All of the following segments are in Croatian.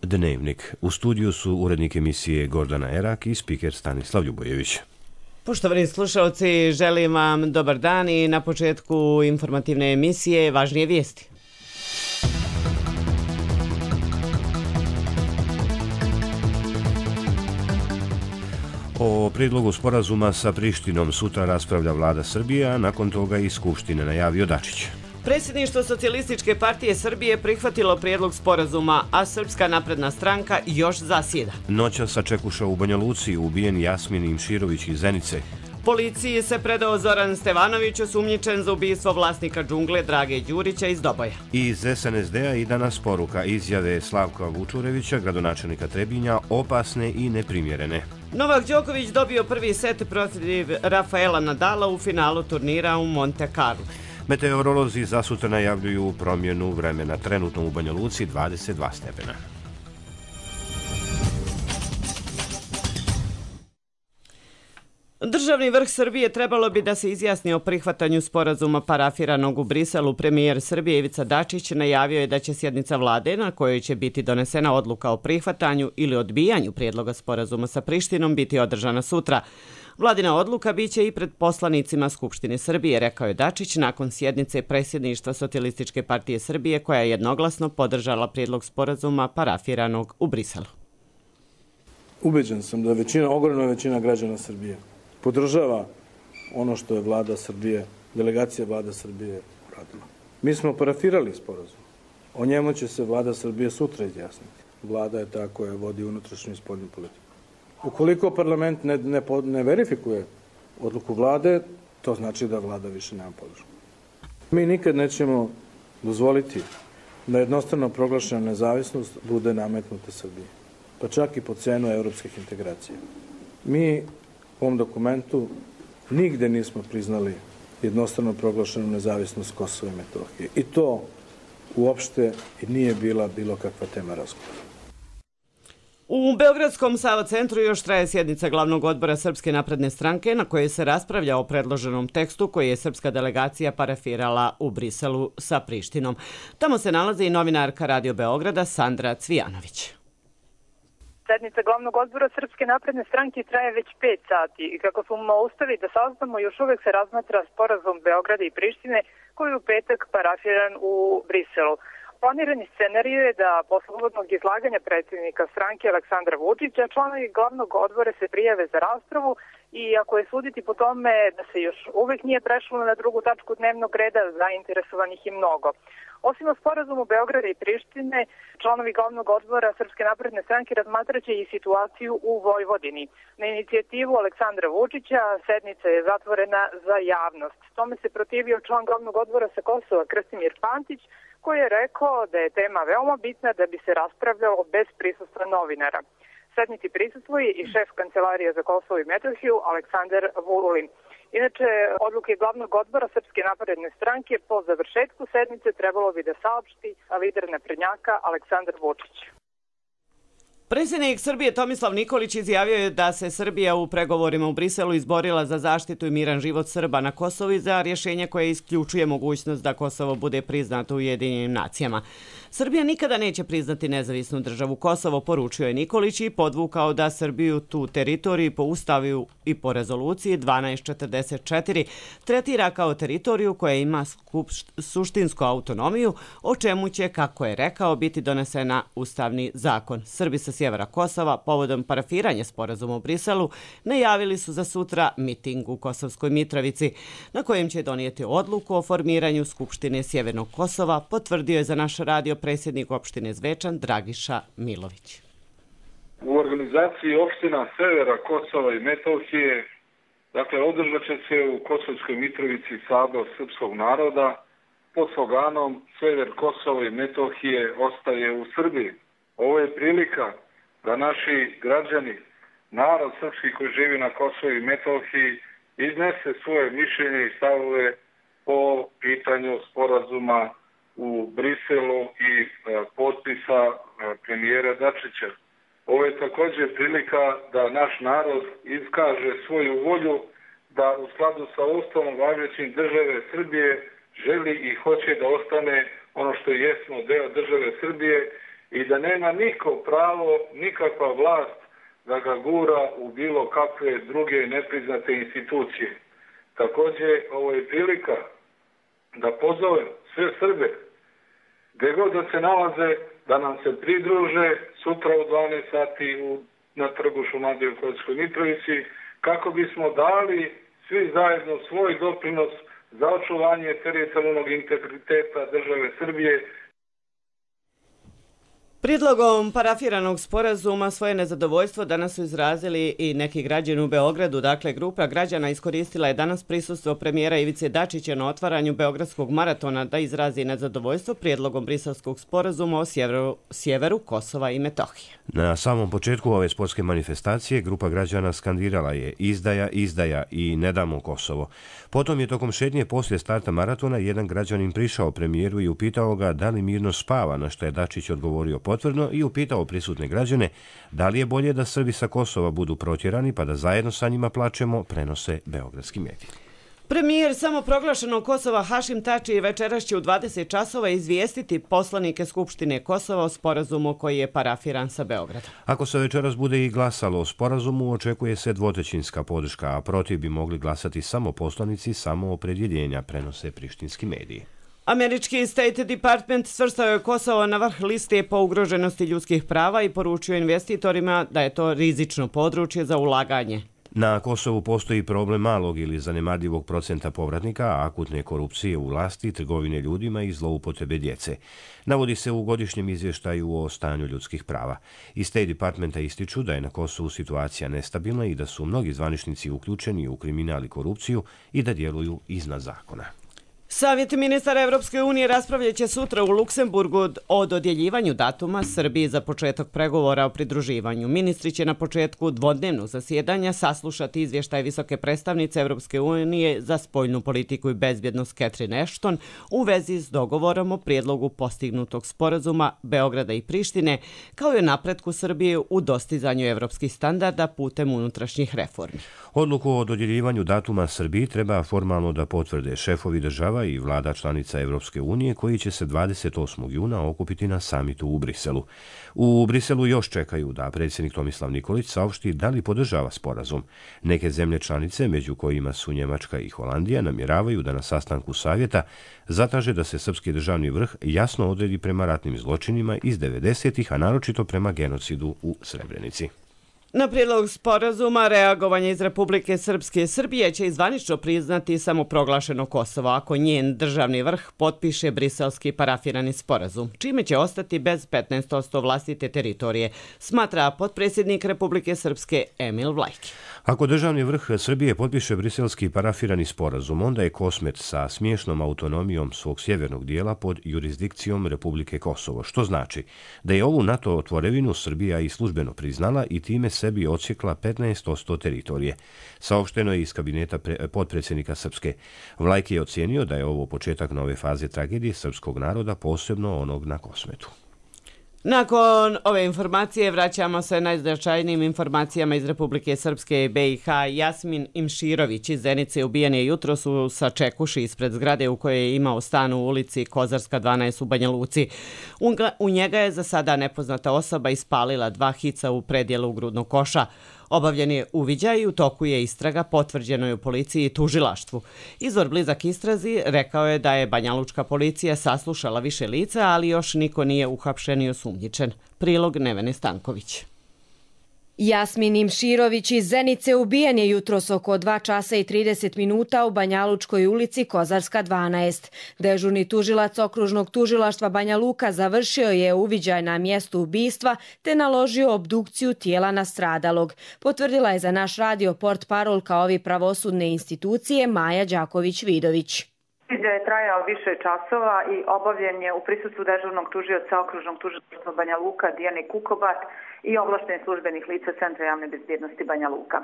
Dnevnik. U studiju su urednik emisije Gordana Erak i spiker Stanislav Ljubojević. Poštovani slušalci, želim vam dobar dan i na početku informativne emisije važnije vijesti. O prijedlogu sporazuma sa Prištinom sutra raspravlja vlada Srbije, a nakon toga i Skupštine, najavio Dačić. Predsjedništvo Socijalističke partije Srbije prihvatilo prijedlog sporazuma, a Srpska napredna stranka još zasjeda. Noćas sačekuša u Banja Luci ubijen Jasmin Imširović iz Zenice. Policiji se predao Zoran Stevanović, osumnjičen za ubistvo vlasnika džungle Drage Đurića iz Doboja. Iz SNSD-a i danas poruka izjave Slavka Vučurevića, gradonačelnika Trebinja, opasne i neprimjerene. Novak Đoković dobio prvi set protiv Rafaela Nadala u finalu turnira u Monte Carlo. Meteorolozi za sutra najavljuju promjenu vremena, trenutno u Banja Luci 22 stepena. Državni vrh Srbije trebalo bi da se izjasni o prihvatanju sporazuma parafiranog u Briselu. Premijer Srbije Ivica Dačić najavio je da će sjednica vlade na kojoj će biti donesena odluka o prihvatanju ili odbijanju prijedloga sporazuma sa Prištinom biti održana sutra. Vladina odluka biće i pred poslanicima Skupštine Srbije, rekao je Dačić nakon sjednice predsjedništva Socijalističke partije Srbije koja je jednoglasno podržala prijedlog sporazuma parafiranog u Briselu. Ubeđen sam da ogromna većina građana Srbije podržava ono što je vlada Srbije, delegacija vlada Srbije uradila. Mi smo parafirali sporazum. O njemu će se vlada Srbije sutra izjasniti. Vlada je ta koja vodi unutrašnju i spoljnu politiku. Ukoliko parlament ne verifikuje odluku vlade, to znači da vlada više nema podršku. Mi nikad nećemo dozvoliti da jednostrano proglašena nezavisnost bude nametnuta Srbiji, pa čak i po cenu evropskih integracija. Mi u ovom dokumentu nigde nismo priznali jednostrano proglašenu nezavisnost Kosova i Metohije. I to uopšte nije bila bilo kakva tema razgovora. U Beogradskom Sava centru još traje sjednica glavnog odbora Srpske napredne stranke na kojoj se raspravlja o predloženom tekstu koji je srpska delegacija parafirala u Briselu sa Prištinom. Tamo se nalazi i novinarka Radio Beograda Sandra Cvijanović. Sednica glavnog odbora Srpske napredne stranke traje već 5 sati i kako smo uspeli da saznamo, još uvek se razmatra sporazum Beograda i Prištine koji je u petak parafiran u Briselu. Planirani scenarij je da posle uvodnog izlaganja predsjednika stranke Aleksandra Vučića članovi glavnog odbora se prijave za raspravu i ako je suditi po tome da se još uvek nije prešlo na drugu tačku dnevnog reda, zainteresovanih i mnogo. Osim o sporazumu Beograda i Prištine, članovi glavnog odbora Srpske napredne stranke razmatraće i situaciju u Vojvodini. Na inicijativu Aleksandra Vučića sednica je zatvorena za javnost. Tome se protivio član glavnog odbora sa Kosova Krstimir Pantić, koji je rekao da je tema veoma bitna da bi se raspravljalo bez prisustva novinara. Sednici prisustvuje i šef Kancelarije za Kosovo i Metohiju Aleksandar Vulin. Inače, odluke glavnog odbora Srpske napredne stranke po završetku sednice trebalo bi da saopšti lider naprednjaka Aleksandar Vučić. Predsjednik Srbije Tomislav Nikolić izjavio je da se Srbija u pregovorima u Briselu izborila za zaštitu i miran život Srba na Kosovu i za rješenje koje isključuje mogućnost da Kosovo bude priznato u Ujedinjenim nacijama. Srbija nikada neće priznati nezavisnu državu Kosovo, poručio je Nikolić i podvukao da Srbiju tu teritoriju po ustavu i po rezoluciji 1244 tretira kao teritoriju koja ima suštinsku autonomiju, o čemu će, kako je rekao, biti donesena ustavni zakon. Srbi sa sjevera Kosova povodom parafiranja sporazuma u Briselu najavili su za sutra miting u Kosovskoj Mitrovici, na kojem će donijeti odluku o formiranju Skupštine Sjevernog Kosova, potvrdio je za naš radio predsjednik opštine Zvečan Dragiša Milović. U organizaciji opština Severa Kosova i Metohije, dakle, održat će se u Kosovskoj Mitrovici sabor srpskog naroda pod sloganom Sever Kosova i Metohije ostaje u Srbiji. Ovo je prilika da naši građani, narod srpski koji živi na Kosovu i Metohiji, iznese svoje mišljenje i stavove po pitanju sporazuma u Briselu i potpisa premijera Dačića. Ovo je također prilika da naš narod iskaže svoju volju da u skladu sa Ustavom važećim države Srbije želi i hoće da ostane ono što jesmo deo države Srbije i da nema niko pravo, nikakva vlast da ga gura u bilo kakve druge nepriznate institucije. Također, ovo je prilika da pozovem sve Srbe, gdje god da se nalaze, da nam se pridruže sutra u 12 sati na trgu Šumadije u Kosovskoj Mitrovici, kako bismo dali svi zajedno svoj doprinos za očuvanje teritorijalnog integriteta države Srbije. Prijedlogom parafiranog sporazuma svoje nezadovoljstvo danas su izrazili i neki građani u Beogradu. Dakle, grupa građana iskoristila je danas prisustvo premijera Ivice Dačića na otvaranju Beogradskog maratona da izrazi nezadovoljstvo prijedlogom briselskog sporazuma o sjeveru Kosova i Metohije. Na samom početku ove sportske manifestacije grupa građana skandirala je izdaja, izdaja i ne damo Kosovo. Potom je tokom šetnje poslije starta maratona jedan građanin prišao premijeru i upitao ga da li mirno spava, na što je Dačić odgovorio potvrdno i upitao prisutne građane da li je bolje da Srbi sa Kosova budu protjerani pa da zajedno sa njima plačemo, prenose beogradski mediji. Premijer samoproglašenog Kosova Hašim Tači večeras će u 20 časova izvijestiti poslanike Skupštine Kosova o sporazumu koji je parafiran sa Beogradom. Ako se večeras bude i glasalo o sporazumu, očekuje se dvotrećinska podrška, a protiv bi mogli glasati samo poslanici samoopredjeljenja, prenose prištinski mediji. Američki State Department svrstao je Kosovo na vrh liste po ugroženosti ljudskih prava i poručio investitorima da je to rizično područje za ulaganje. Na Kosovu postoji problem malog ili zanemarljivog procenta povratnika, akutne korupcije u vlasti, trgovine ljudima i zloupotrebe djece. Navodi se u godišnjem izvještaju o stanju ljudskih prava. Iz State Departmenta ističu da je na Kosovu situacija nestabilna i da su mnogi zvaničnici uključeni u kriminal i korupciju i da djeluju iznad zakona. Savjet ministara Evropske unije raspravljat će sutra u Luksemburgu o dodjeljivanju datuma Srbiji za početak pregovora o pridruživanju. Ministri će na početku dvodnevnog zasjedanja saslušati izvještaj visoke predstavnice Evropske unije za spoljnu politiku i bezbjednost Catherine Ashton u vezi s dogovorom o prijedlogu postignutog sporazuma Beograda i Prištine, kao i o napretku Srbije u dostizanju evropskih standarda putem unutrašnjih reformi. Odluku o dodjeljivanju datuma Srbiji treba formalno da potvrde šefovi država i vlada članica Evropske unije koji će se 28. juna okupiti na samitu u Briselu. U Briselu još čekaju da predsjednik Tomislav Nikolić saopšti da li podržava sporazum. Neke zemlje članice, među kojima su Njemačka i Holandija, namjeravaju da na sastanku savjeta zatraže da se srpski državni vrh jasno odredi prema ratnim zločinima iz 90-ih, a naročito prema genocidu u Srebrenici. Na prijedlog sporazuma reagovanje iz Republike Srpske Srbije će zvanično priznati samoproglašeno Kosovo ako njen državni vrh potpiše briselski parafirani sporazum, čime će ostati bez 15% vlastite teritorije, smatra potpredsjednik Republike Srpske Emil Vlajki. Ako državni vrh Srbije potpiše briselski parafirani sporazum, onda je Kosmet sa smiješnom autonomijom svog sjevernog dijela pod jurisdikcijom Republike Kosovo, što znači da je ovu NATO tvorevinu Srbija i službeno priznala i time sebi odsjekla 15% teritorije. Saopšteno je iz kabineta potpredsjednika Srpske. Vlajki je ocijenio da je ovo početak nove faze tragedije srpskog naroda, posebno onog na Kosmetu. Nakon ove informacije vraćamo se najznačajnijim informacijama iz Republike Srpske i BiH. Jasmin Imširović iz Zenice ubijen je jutros u Sačekuši ispred zgrade u kojoj je imao stan u ulici Kozarska 12 u Banja Luci. U njega je za sada nepoznata osoba ispalila 2 hica u predjelu grudnog koša. Obavljen je uviđaj i u toku je istraga, potvrđeno je u policiji i tužilaštvu. Izvor blizak istrazi rekao je da je banjalučka policija saslušala više lica, ali još niko nije uhapšen i osumnjičen. Prilog Nevene Stanković. Jasmin Imširović iz Zenice ubijen je jutros oko 2 časa i 30 minuta u Banjalučkoj ulici Kozarska 12. Dežurni tužilac okružnog tužilaštva Banja Luka završio je uviđaj na mjestu ubistva te naložio obdukciju tijela nastradalog. Potvrdila je za naš radio portparolka ovi pravosudne institucije Maja Đaković-Vidović. Uviđaj je trajao više časova i obavljen je u prisustvu dežurnog tužioca okružnog tužilaštva Banja Luka Dijane Kukobat i ovlaštenih službenih lica Centra javne bezbjednosti Banja Luka.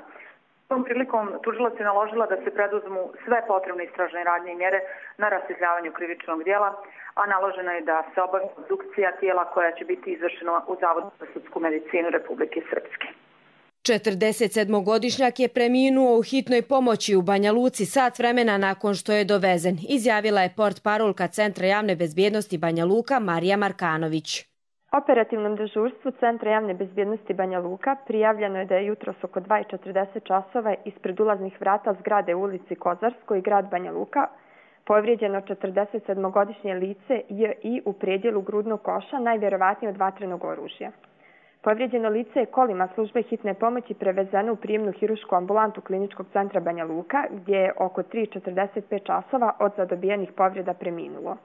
Tom prilikom tužilac je naložila da se preduzmu sve potrebne istražne radnje i mjere na rasvjetljavanju krivičnog djela, a naloženo je da se obavi obdukcija tijela koja će biti izvršena u Zavodu za sudsku medicinu Republike Srpske. 47-godišnjak je preminuo u hitnoj pomoći u Banja Luci sat vremena nakon što je dovezen, izjavila je portparolka Centra javne bezbjednosti Banja Luka Marija Markanović. Operativnom dežurstvu Centra javne bezbjednosti Banja Luka prijavljeno je da je jutros oko 2:40 časova ispred ulaznih vrata zgrade u ulici Kozarskoj, grad Banja Luka, povrijeđeno 47-godišnje lice J.I. u predjelu grudnog koša, najvjerovatnije od vatrenog oružja. Povrijeđeno lice je kolima službe hitne pomoći prevezeno u prijemnu hirušku ambulantu Kliničkog centra Banja Luka, gdje je oko 3:45 časova od zadobijenih povreda preminulo.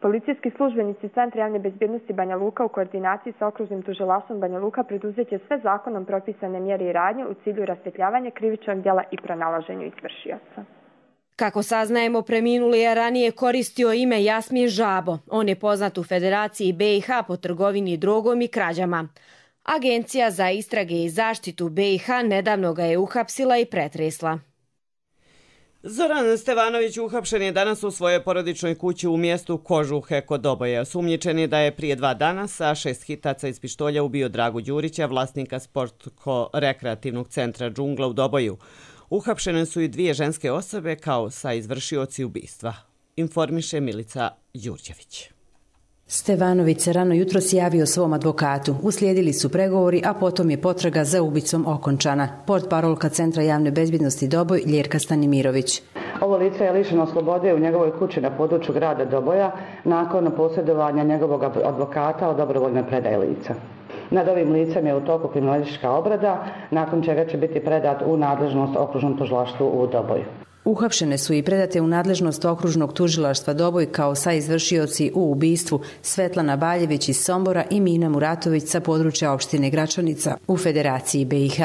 Policijski službenici Centra javne bezbjednosti Banja Luka u koordinaciji sa okružnim tužilaštvom Banja Luka preduzeće sve zakonom propisane mjere i radnje u cilju rasvjetljavanja krivičnog djela i pronalaženju izvršioca. Kako saznajemo, preminuli je ranije koristio ime Jasmin Žabo. On je poznat u Federaciji BiH po trgovini drogom i krađama. Agencija za istrage i zaštitu BiH nedavno ga je uhapsila i pretresla. Zoran Stevanović uhapšen je danas u svojoj porodičnoj kući u mjestu Kožuhe kod Doboja. Osumnjičen je da je prije 2 dana sa 6 hitaca iz pištolja ubio Dragu Đurića, vlasnika sportsko-rekreativnog centra Džungla u Doboju. Uhapšene su i 2 ženske osobe kao sa izvršioci ubistva, informiše Milica Đurđević. Stevanović se rano jutros javio svom advokatu. Uslijedili su pregovori, a potom je potraga za ubicom okončana. Portparolka Centra javne bezbjednosti Doboj, Ljerka Stanimirović. Ovo lice je lišeno slobode u njegovoj kući na području grada Doboja nakon posjedovanja njegovog advokata o dobrovoljnoj predaji lica. Nad ovim licem je u toku kriminalistička obrada, nakon čega će biti predat u nadležnost okružnom tužilaštvu u Doboju. Uhapšene su i predate u nadležnost okružnog tužilaštva Doboj kao saizvršioci u ubistvu Svetlana Baljević iz Sombora i Mina Muratović sa područja opštine Gračanica u Federaciji BiH.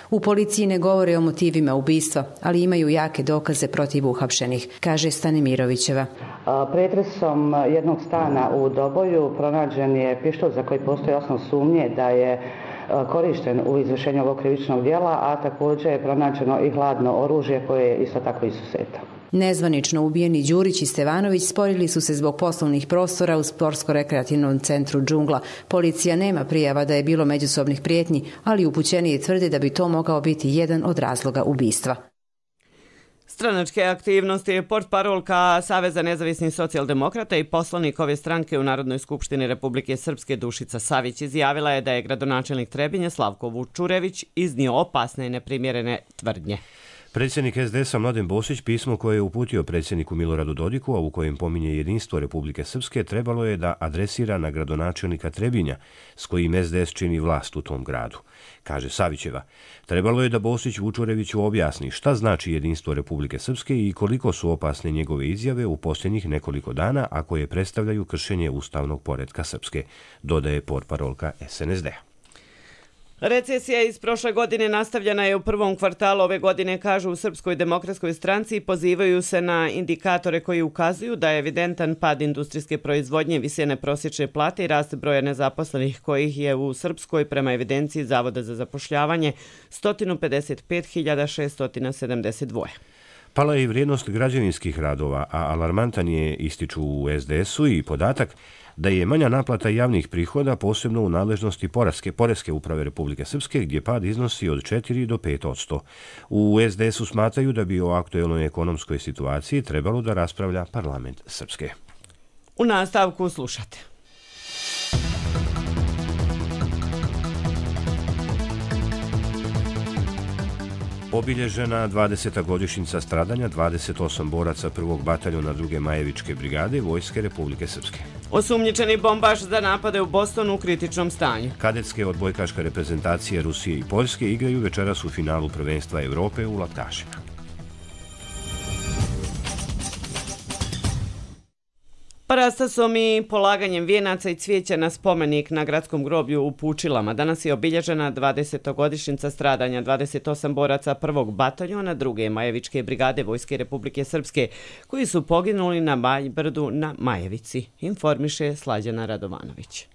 U policiji ne govore o motivima ubistva, ali imaju jake dokaze protiv uhapšenih, kaže Stanimirovićeva. Pretresom jednog stana u Doboju pronađen je pištolj za koji postoji osnov sumnje da je korišten u izvršenju ovog krivičnog djela, a također je pronađeno i hladno oružje koje je isto tako izuzeto. Nezvanično ubijeni Đurić i Stevanović sporili su se zbog poslovnih prostora u sportsko-rekreativnom centru Džungla. Policija nema prijava da je bilo međusobnih prijetnji, ali upućeniji tvrde da bi to mogao biti jedan od razloga ubistva. Stranačke aktivnosti je portparolka Saveza nezavisnih socijaldemokrata i poslanik ove stranke u Narodnoj skupštini Republike Srpske Dušica Savić izjavila je da je gradonačelnik Trebinja Slavko Vučurević iznio opasne i neprimjerene tvrdnje. Predsjednik SDS-a Mladen Bosić pismo koje je uputio predsjedniku Miloradu Dodiku, a u kojem pominje jedinstvo Republike Srpske, trebalo je da adresira na gradonačelnika Trebinja, s kojim SDS čini vlast u tom gradu. Kaže Savićeva, trebalo je da Bosić Vučureviću objasni šta znači jedinstvo Republike Srpske i koliko su opasne njegove izjave u posljednjih nekoliko dana, a koje predstavljaju kršenje ustavnog poretka Srpske, dodaje portparolka SNSD-a. Recesija iz prošle godine nastavljena je u prvom kvartalu ove godine, kažu u Srpskoj demokratskoj stranci i pozivaju se na indikatore koji ukazuju da je evidentan pad industrijske proizvodnje, visine prosječne plate i rast broja nezaposlenih kojih je u Srpskoj prema evidenciji Zavoda za zapošljavanje 155.672. Pala je i vrijednost građevinskih radova, a alarmantan je, ističu u SDS-u, i podatak da je manja naplata javnih prihoda posebno u nadležnosti Poreske uprave Republike Srpske, gdje pad iznosi od 4 do 5%. U SDS-u smatraju da bi o aktuelnoj ekonomskoj situaciji trebalo da raspravlja parlament Srpske. U nastavku slušate. Obilježena 20. godišnjica stradanja 28 boraca 1. bataljona 2. Majevičke brigade Vojske Republike Srpske. Osumnjičeni bombaš za napade u Bostonu u kritičnom stanju. Kadetske odbojkaške reprezentacije Rusije i Poljske igraju večeras u finalu prvenstva Evrope u laktašima. Parastasom i polaganjem vijenaca i cvijeća na spomenik na gradskom groblju u Pučilama danas je obilježena 20. godišnjica stradanja 28 boraca 1. bataljona 2. Majevičke brigade Vojske Republike Srpske, koji su poginuli na Majbrdu na Majevici, informiše Slađana Radovanović.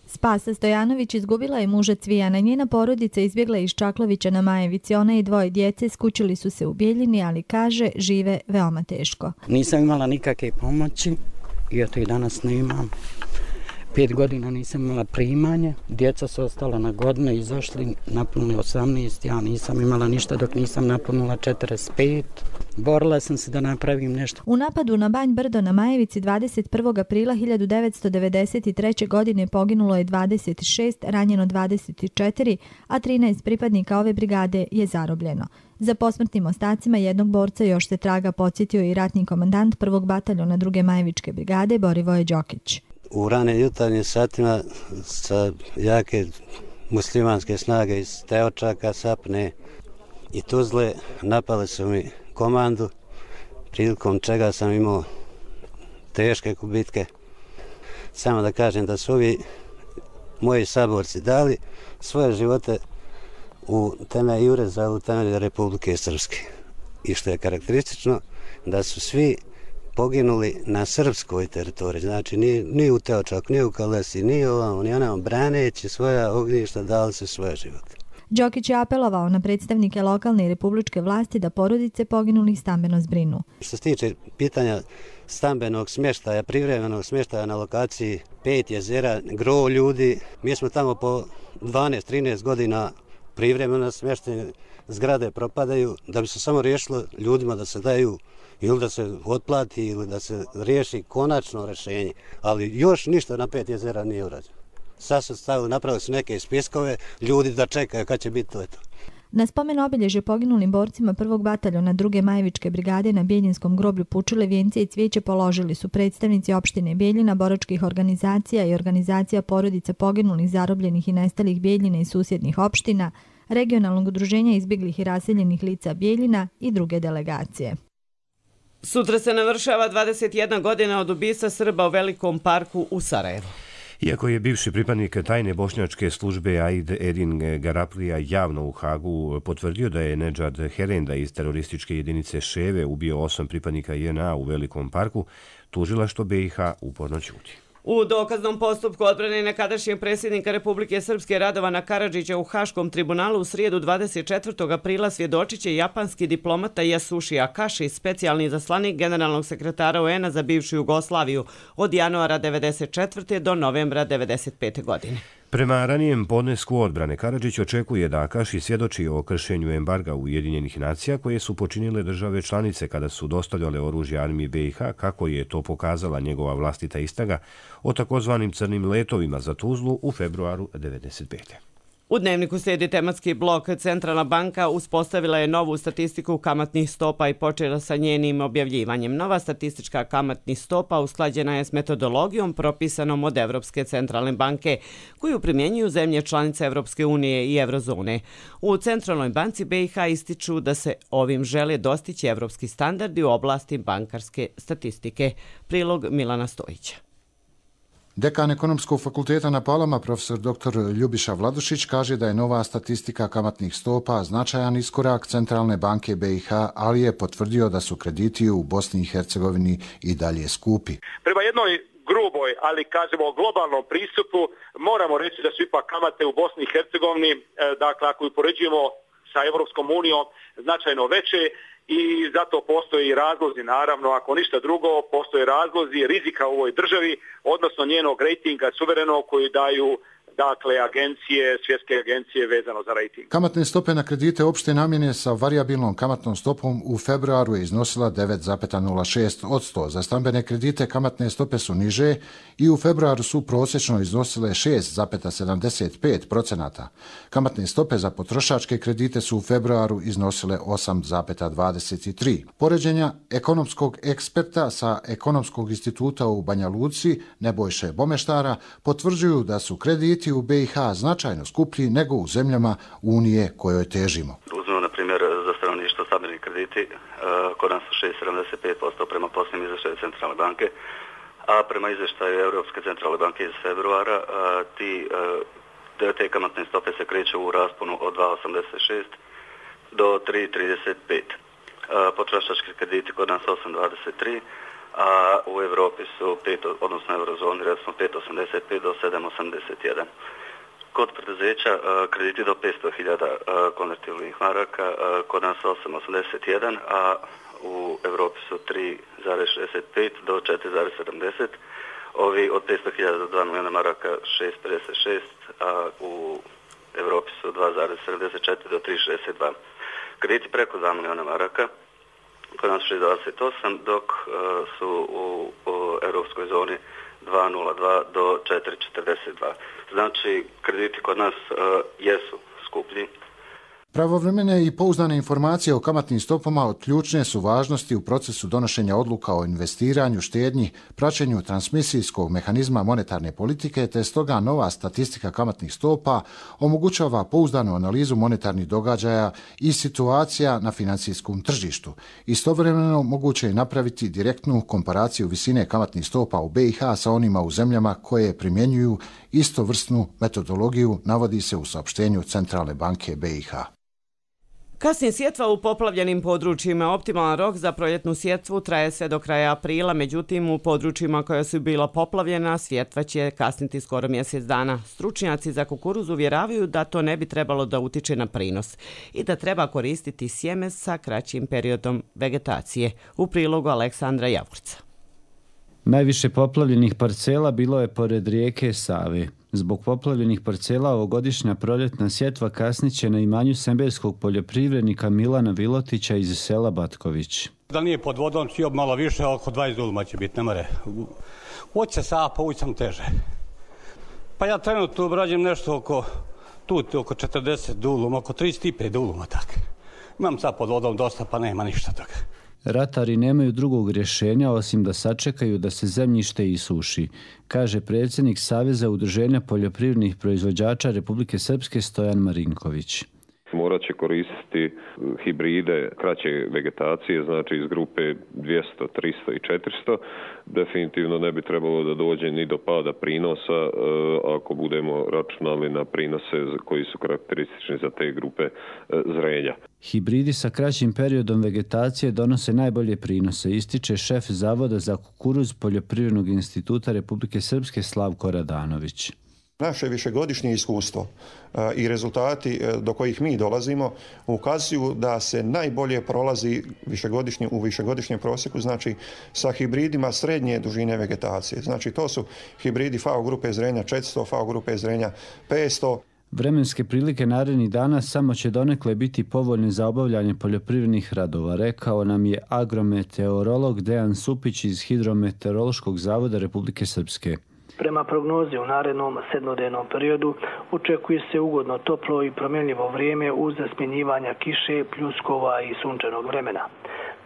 Spasa Stojanović izgubila je muža Cvijana. Njena porodica izbjegla iz Čaklavića na Majevici. Ona i 2 djece skućili su se u Bijeljini, ali kaže žive veoma teško. Nisam imala nikakve pomoći i eto i danas nemam. 5 godina nisam imala primanje, djeca su ostala na godine, izašli, napunili 18, ja nisam imala ništa dok nisam napunila 45. Borila sam se da napravim nešto. U napadu na Banj Brdo na Majevici 21. aprila 1993. godine poginulo je 26, ranjeno 24, a 13 pripadnika ove brigade je zarobljeno. Za posmrtnim ostacima jednog borca još se traga, podsjetio i ratni komandant 1. bataljona 2. Majevičke brigade Borivoje Đokić. U rane jutarnjim satima sa jake muslimanske snage iz Teočaka, Sapne i Tuzle napale su mi komandu, prilikom čega sam imao teške gubitke. Samo da kažem da su ovi moji saborci dali svoje živote u temelj Jureza, u temelju Republike Srpske. I što je karakteristično, da su svi poginuli na srpskoj teritoriji, znači ni u Teočaku, ni u Kalesi, ni ovamo, ni onamo, braneći svoja ognjišta, dali su svoje živote. Đokić je apelovao na predstavnike lokalne i republičke vlasti da porodice poginulih stambeno zbrinu. Što se tiče pitanja stambenog smještaja, privremenog smještaja na lokaciji 5 jezera, gro ljudi, mi smo tamo po 12-13 godina privremeno smještene, zgrade propadaju, da bi se samo riješilo ljudima da se daju ili da se otplati ili da se riješi konačno rješenje, ali još ništa na 5 jezera nije urađeno. Sad su stavili, napravili su neke spiskove, ljudi da čekaju kad će biti to. Na spomen obilježje poginulim borcima 1. bataljona 2. Majevičke brigade na Bjeljinskom groblju Pučile vijence i cvijeće položili su predstavnici opštine Bjeljina, boračkih organizacija i organizacija porodica poginulih, zarobljenih i nestalih Bjeljina i susjednih opština, regionalnog udruženja izbjeglih i raseljenih lica Bjeljina i druge delegacije. Sutra se navršava 21 godina od ubistva Srba u Velikom parku u Sarajevu. Iako je bivši pripadnik tajne bošnjačke službe Aid Edin Garaplija javno u Hagu potvrdio da je Nedžad Herenda iz terorističke jedinice Ševe ubio 8 pripadnika JNA u Velikom parku, tužilaštvo BiH uporno ćuti. U dokaznom postupku odbrane nekadašnjeg predsjednika Republike Srpske Radovana Karadžića u Haškom tribunalu u srijedu 24. aprila svjedočit će japanski diplomata Yasushi Akashi, specijalni zaslanik generalnog sekretara UN-a za bivšu Jugoslaviju od januara 1994. do novembra 1995. godine. Prema ranijem podnesku odbrane, Karadžić očekuje da Akashi svjedoči o kršenju embarga Ujedinjenih nacija koje su počinile države članice kada su dostavljale oružje armiji BiH, kako je to pokazala njegova vlastita istraga o takozvanim crnim letovima za Tuzlu u februaru 1995. U Dnevniku slijedi tematski blok. Centralna banka uspostavila je novu statistiku kamatnih stopa i počela sa njenim objavljivanjem. Nova statistička kamatnih stopa usklađena je s metodologijom propisanom od Evropske centralne banke, koju primjenjuju zemlje članice Evropske unije i Eurozone. U Centralnoj banci BiH ističu da se ovim žele dostići evropski standardi u oblasti bankarske statistike. Prilog Milana Stojića. Dekan Ekonomskog fakulteta na Palama, profesor dr. Ljubiša Vladušić, kaže da je nova statistika kamatnih stopa značajan iskorak Centralne banke BiH, ali je potvrdio da su krediti u Bosni i Hercegovini i dalje skupi. Prema jednoj gruboj, ali kažemo globalnom pristupu, moramo reći da su ipak kamate u Bosni i Hercegovini, dakle ako upoređujemo sa Evropskom unijom, značajno veće. I zato postoji razlozi, naravno, ako ništa drugo, postoje razlozi rizika u ovoj državi, odnosno njenog rejtinga suverenog koji daju agencije, svjetske agencije vezano za rejting. Kamatne stope na kredite opšte namjene sa varijabilnom kamatnom stopom u februaru je iznosila 9,06%. Za stambene kredite kamatne stope su niže i u februaru su prosječno iznosile 6,75%. Kamatne stope za potrošačke kredite su u februaru iznosile 8,23%. Poređenja ekonomskog eksperta sa Ekonomskog instituta u Banja Luci, Nebojše Bomeštara, potvrđuju da su krediti u BiH značajno skuplji nego u zemljama Unije kojoj težimo. Uzmemo, na primjer, za stanovništvo stambeni krediti, kod nas su 6,75% prema posljednjem izvještaju Centralne banke, a prema izvještaju Europske centralne banke iz februara te kamatne stope se kreću u rasponu od 2,86 do 3,35. Potrošački krediti kod nas 8,23, a u Europi su odnosno eurozoni recimo 5,85 do 7,81. Kod preduzeća krediti do 500.000 konvertibilnih maraka, kod nas 8,81, a u Europi su 3,65 do 4,70. Ovi od 500.000 do 2 milijuna maraka 6,56, a u Evropi su 2,74 do 3,62. Krediti preko 2 milijuna maraka kod nas 6,28, dok su u europskoj zoni 2,02 do 4,42. Znači, krediti kod nas jesu skuplji. Pravovremene i pouzdane informacije o kamatnim stopama od ključne su važnosti u procesu donošenja odluka o investiranju, štednji, praćenju transmisijskog mehanizma monetarne politike, te stoga nova statistika kamatnih stopa omogućava pouzdanu analizu monetarnih događaja i situacija na financijskom tržištu. Istovremeno moguće je napraviti direktnu komparaciju visine kamatnih stopa u BiH sa onima u zemljama koje primjenjuju istovrsnu metodologiju, navodi se u saopštenju Centralne banke BiH. Kasnije sjetva u poplavljenim područjima. Optimalan rok za proljetnu sjetvu traje sve do kraja aprila, međutim u područjima koja su bila poplavljena sjetva će kasniti skoro mjesec dana. Stručnjaci za kukuruz uvjeravaju da to ne bi trebalo da utiče na prinos i da treba koristiti sjeme sa kraćim periodom vegetacije. U prilogu Aleksandra Javurca. Najviše poplavljenih parcela bilo je pored rijeke Save. Zbog poplavljenih parcela ovogodišnja proljetna sjetva kasnit će na imanju semberskog poljoprivrednika Milana Vilotića iz sela Batković. Da nije pod vodom, cijel malo više, oko 20 duluma će biti, ne more. Hoće Sava, povući sam teže. Pa ja trenutno obrađujem nešto oko 40 duluma, oko 35 duluma, tako. Imam sad pod vodom dosta, pa nema ništa toga. Ratari nemaju drugog rješenja osim da sačekaju da se zemljište isuši, kaže predsjednik Saveza udruženja poljoprivrednih proizvođača Republike Srpske Stojan Marinković. Morat će koristiti hibride kraće vegetacije, znači iz grupe 200, 300 i 400. Definitivno ne bi trebalo da dođe ni do pada prinosa ako budemo računali na prinose koji su karakteristični za te grupe zrenja. Hibridi sa kraćim periodom vegetacije donose najbolje prinose, ističe šef Zavoda za kukuruz Poljoprivrednog instituta Republike Srpske Slavko Radanović. Naše višegodišnje iskustvo i rezultati do kojih mi dolazimo ukazuju da se najbolje prolazi u višegodišnjem prosjeku, znači sa hibridima srednje dužine vegetacije. Znači to su hibridi FAO grupe zrenja 400, FAO grupe zrenja 500. Vremenske prilike narednih dana samo će donekle biti povoljne za obavljanje poljoprivrednih radova, rekao nam je agrometeorolog Dejan Supić iz Hidrometeorološkog zavoda Republike Srpske. Prema prognozi u narednom sedmodnevnom periodu očekuje se ugodno toplo i promjenljivo vrijeme uz smjenjivanja kiše, pljuskova i sunčanog vremena.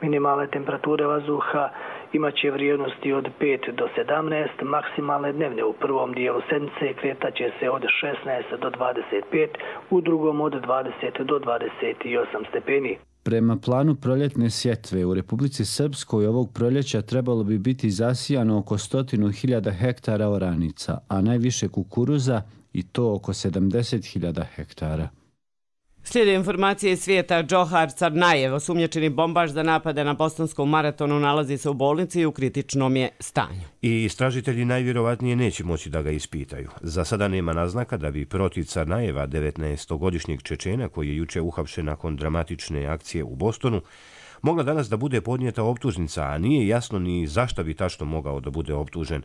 Minimalne temperature vazduha imaće vrijednosti od 5 do 17, maksimalne dnevne u prvom dijelu sedmice kretaće se od 16 do 25, u drugom od 20 do 28 stepeni. Prema planu proljetne sjetve u Republici Srpskoj ovog proljeća trebalo bi biti zasijano oko 100.000 hektara oranica, a najviše kukuruza i to oko 70.000 hektara. Slijede informacije iz svijeta. Džohar Carnajev, osumnjičeni bombaš za napade na bostonskom maratonu, nalazi se u bolnici i u kritičnom je stanju. I istražitelji najvjerovatnije neće moći da ga ispitaju. Za sada nema naznaka da bi protiv Carnajeva, 19-godišnjeg Čečena koji je juče uhapšen nakon dramatične akcije u Bostonu, mogla danas da bude podnijeta optužnica, a nije jasno ni zašto bi tačno mogao da bude optužen.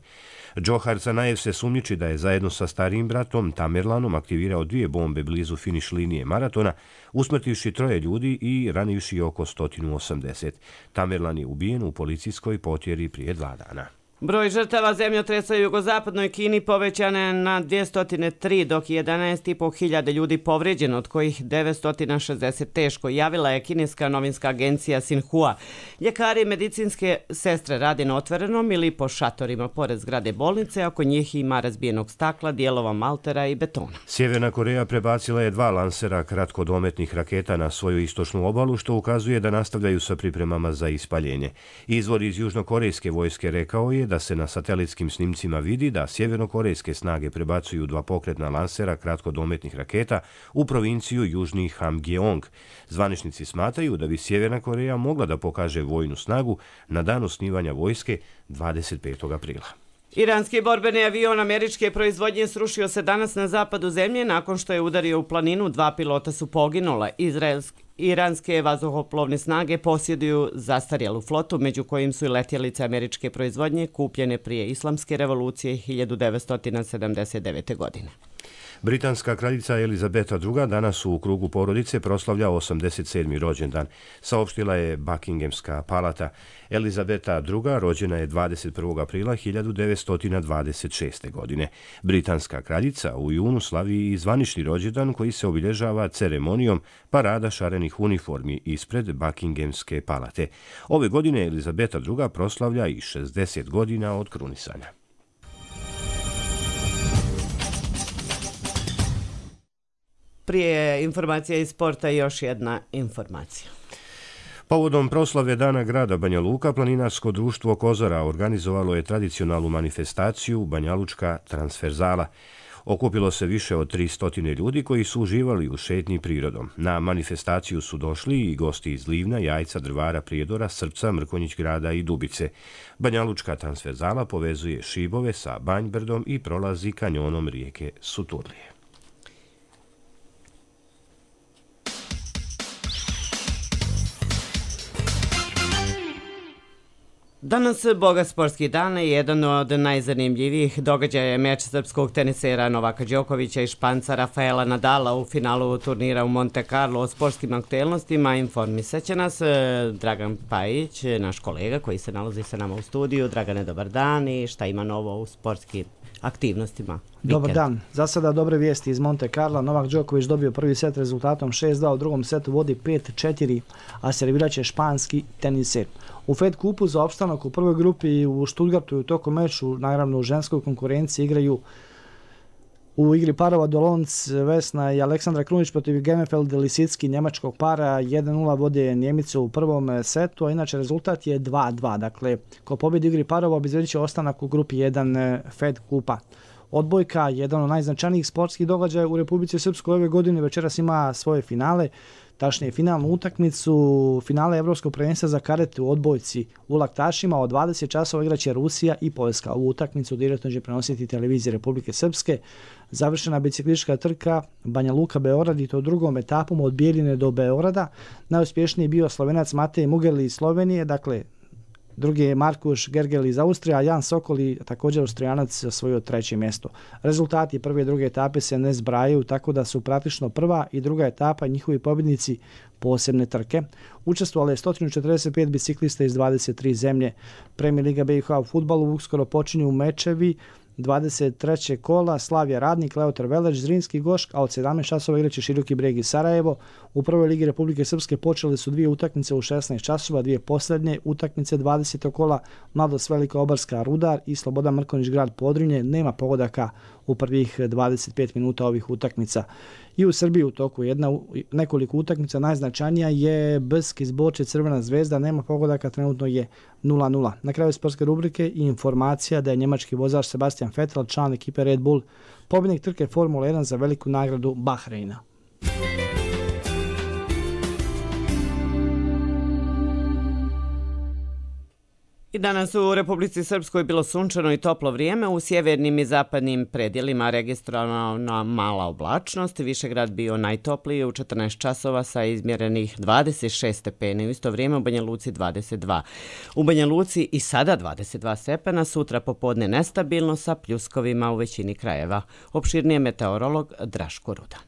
Džohar Carnajev se sumnjiči da je zajedno sa starijim bratom Tamerlanom aktivirao 2 bombe blizu finiš linije maratona, usmrtivši 3 ljudi i ranivši oko 180. Tamerlan je ubijen u policijskoj potjeri prije 2 dana. Broj žrtava zemljotresa u jugozapadnoj Kini povećan je na 203, dok je 11.500 ljudi povrijeđeno, od kojih 960 teško, javila je kineska novinska agencija Xinhua. Ljekari i medicinske sestre rade na otvorenom ili po šatorima pored zgrade bolnice, oko njih ima razbijenog stakla, dijelova maltera i betona. Sjeverna Koreja prebacila je 2 lansera kratkodometnih raketa na svoju istočnu obalu, što ukazuje da nastavljaju sa pripremama za ispaljenje. Izvor iz južnokorejske vojske rekao je da se na satelitskim snimcima vidi da sjevernokorejske snage prebacuju 2 pokretna lansera kratkodometnih raketa u provinciju Južni Hamgjeong. Zvaničnici smatraju da bi Sjeverna Koreja mogla da pokaže vojnu snagu na dan osnivanja vojske 25. aprila. Iranski borbeni avion američke proizvodnje srušio se danas na zapadu zemlje nakon što je udario u planinu. 2 pilota su poginula. Iranske vazduhoplovne snage posjeduju zastarjelu flotu, među kojim su i letjelice američke proizvodnje kupljene prije Islamske revolucije 1979. godine. Britanska kraljica Elizabeta II. Danas u krugu porodice proslavlja 87. rođendan, saopštila je Buckinghamska palata. Elizabeta II. Rođena je 21. aprila 1926. godine. Britanska kraljica u junu slavi i zvanični rođendan koji se obilježava ceremonijom parada šarenih uniformi ispred Buckinghamske palate. Ove godine Elizabeta II. Proslavlja i 60 godina od krunisanja. Prije informacija iz sporta još jedna informacija. Povodom proslave Dana grada Banja Luka, planinarsko društvo Kozara organizovalo je tradicionalnu manifestaciju Banjalučka transverzala. Okupilo se više od 300 ljudi koji su uživali u šetnji prirodom. Na manifestaciju su došli i gosti iz Livna, Jajca, Drvara, Prijedora, Srpca, Mrkonjić grada i Dubice. Banjalučka transverzala povezuje Šibove sa Banjbrdom i prolazi kanjonom rijeke Suturlije. Danas bogat sportski dan i jedan od najzanimljivijih događaja je meč srpskog tenisera Novaka Đokovića i Španca Rafaela Nadala u finalu turnira u Monte Carlo. O sportskim aktuelnostima informisat će nas Dragan Pajić, naš kolega koji se nalazi sa nama u studiju. Dragane, dobar dan i šta ima novo u sportskim aktivnostima? Dobar dan. Za sada dobre vijesti iz Monte Carlo. Novak Đoković dobio prvi set rezultatom 6-2, u drugom setu vodi 5-4, a servirat će španski teniser. U Fed kupu za opstanak u prvoj grupi u Stuttgartu i u toku meču, naravno u ženskoj konkurenciji, igraju u igri parova Dolonc, Vesna i Aleksandra Krunić protiv Gemefeld Lisicki njemačkog para. 1-0 vode Njemice u prvom setu, a inače rezultat je 2-2. Dakle, ko pobjedi u igri parova obezbedit će ostanak u grupi 1 Fed kupa. Odbojka, jedan od najznačajnijih sportskih događaja u Republici Srpskoj ove godine, večeras ima svoje finale. Tačnije finalnu utakmicu, finale Evropskog prvenstva za karate u odbojci u Laktašima. Od 20 časova igraće Rusija i Poljska. Ovu utakmicu direktno će prenositi televizije Republike Srpske. Završena biciklistička trka Banja Luka Beograd i to drugom etapom od Bijeljine do Beograda. Najuspješniji je bio Slovenac Matej Mugerli iz Slovenije, dakle drugi je Markuš Gergel iz Austrije, a Jan Sokoli, također Austrijanac, osvojio treće mjesto. Rezultati prve i druge etape se ne zbrajaju, tako da su praktično prva i druga etapa i njihovi pobjednici posebne trke. Učestvovali je 145 biciklista iz 23 zemlje. Premijer Liga BiH u fudbalu uskoro počinju mečevi 23. kola Slavija Radnik, Leotar Veleć, Zrinski Gošk, a od 17 časova igraće Široki Breg i Sarajevo. U prvoj ligi Republike Srpske počeli su dvije utakmice u 16 časova, dvije posljednje utakmice 20. kola Mladost Velika Obarska Rudar i Slobodan Mrkonjić grad Podrinje. Nema pogodaka u prvih 25 minuta ovih utakmica. I u Srbiji u toku nekoliko utakmica, najznačajnija je Brsk iz Borče Crvena zvezda, nema pogodaka, trenutno je 0-0. Na kraju sportske rubrike i informacija da je njemački vozač Sebastian Vettel, član ekipe Red Bull, pobjednik trke Formula 1 za veliku nagradu Bahreina. I danas u Republici Srpskoj bilo sunčano i toplo vrijeme, u sjevernim i zapadnim predjelima registrovana mala oblačnost, Višegrad bio najtopliji u 14 časova sa izmjerenih 26 stepeni, u isto vrijeme u Banja Luci 22. U Banja Luci i sada 22 stepena, sutra popodne nestabilno sa pljuskovima u većini krajeva. Opširnije meteorolog Draško Rudan.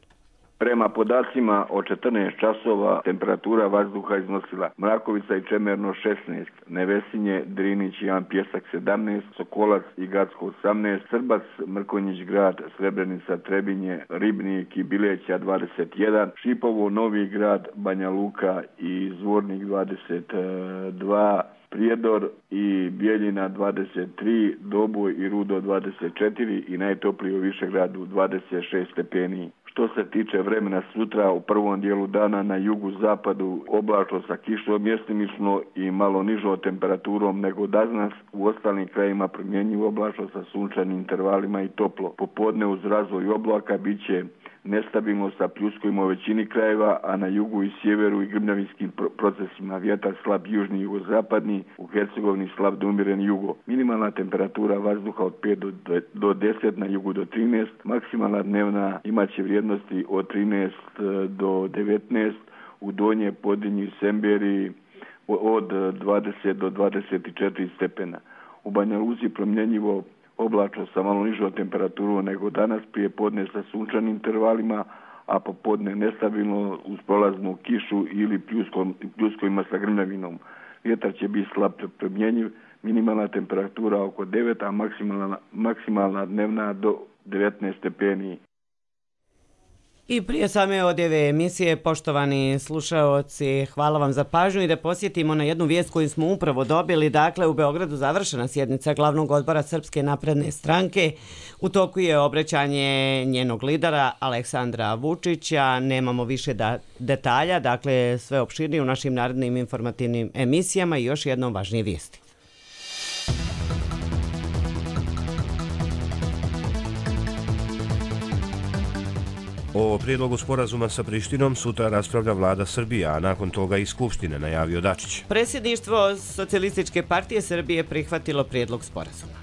Prema podacima od 14 časova temperatura vazduha iznosila Mrakovica i Čemerno 16, Nevesinje, Drinić i Jan Pjesak 17, Sokolac i Gacko 18, Srbac, Mrkonjić grad, Srebrenica, Trebinje, Ribnik i Bileća 21, Šipovo, Novi grad, Banja Luka i Zvornik 22, Prijedor i Bijeljina 23, Doboj i Rudo 24 i najtopliji u Višegradu 26 stepeni. Što se tiče vremena sutra, u prvom dijelu dana na jugu-zapadu oblačno sa kišom mjestimično i malo nižom temperaturom nego danas, u ostalim krajima promjenjivo oblačno sa sunčanim intervalima i toplo. Popodne uz razvoj oblaka bit će nestabilno sa pljuskovima u većini krajeva, a na jugu i sjeveru i grmljavinskim procesima vjetar slab južni i jugozapadni, u Hercegovini slab do umjeren jugo. Minimalna temperatura vazduha od 5 do 10, na jugu do 13, maksimalna dnevna imaće vrijednosti od 13 do 19, u Donje Podinju i Semberiji od 20 do 24 stepena. U Banja Luci promjenjivo oblačno sa malo nižom temperaturom nego danas, prije podne sa sunčanim intervalima, a popodne nestabilno uz prolaznu kišu ili pljuskovima sa grmljavinom. Vjetar će biti slab promjenjiv, minimalna temperatura oko 9, a maksimalna dnevna do 19 stepeni. I prije same odjeve emisije, poštovani slušaoci, hvala vam za pažnju i da posjetimo na jednu vijest koju smo upravo dobili. Dakle, u Beogradu završena sjednica glavnog odbora Srpske napredne stranke. U toku je obraćanje njenog lidera Aleksandra Vučića. Nemamo više detalja, dakle sve opširnije u našim narednim informativnim emisijama i još jednom važnije vijesti. O prijedlogu sporazuma sa Prištinom sutra raspravlja vlada Srbije, a nakon toga i Skupštine, najavio Dačić. Predsjedništvo Socijalističke partije Srbije prihvatilo prijedlog sporazuma.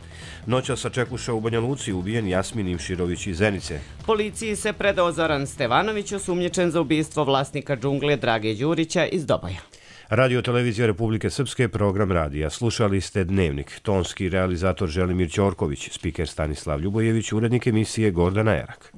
Noća sačekuša u Banja Luci ubijen Jasmin Imširović iz Zenice. Policiji se predao Zoran Stevanović, osumnjičen za ubistvo vlasnika džungle Drage Đurića iz Doboja. Radio Televizija Republike Srpske, program radija. Slušali ste Dnevnik. Tonski realizator Želimir Ćorković, spiker Stanislav Ljubojević, urednik emisije Gordana Erak.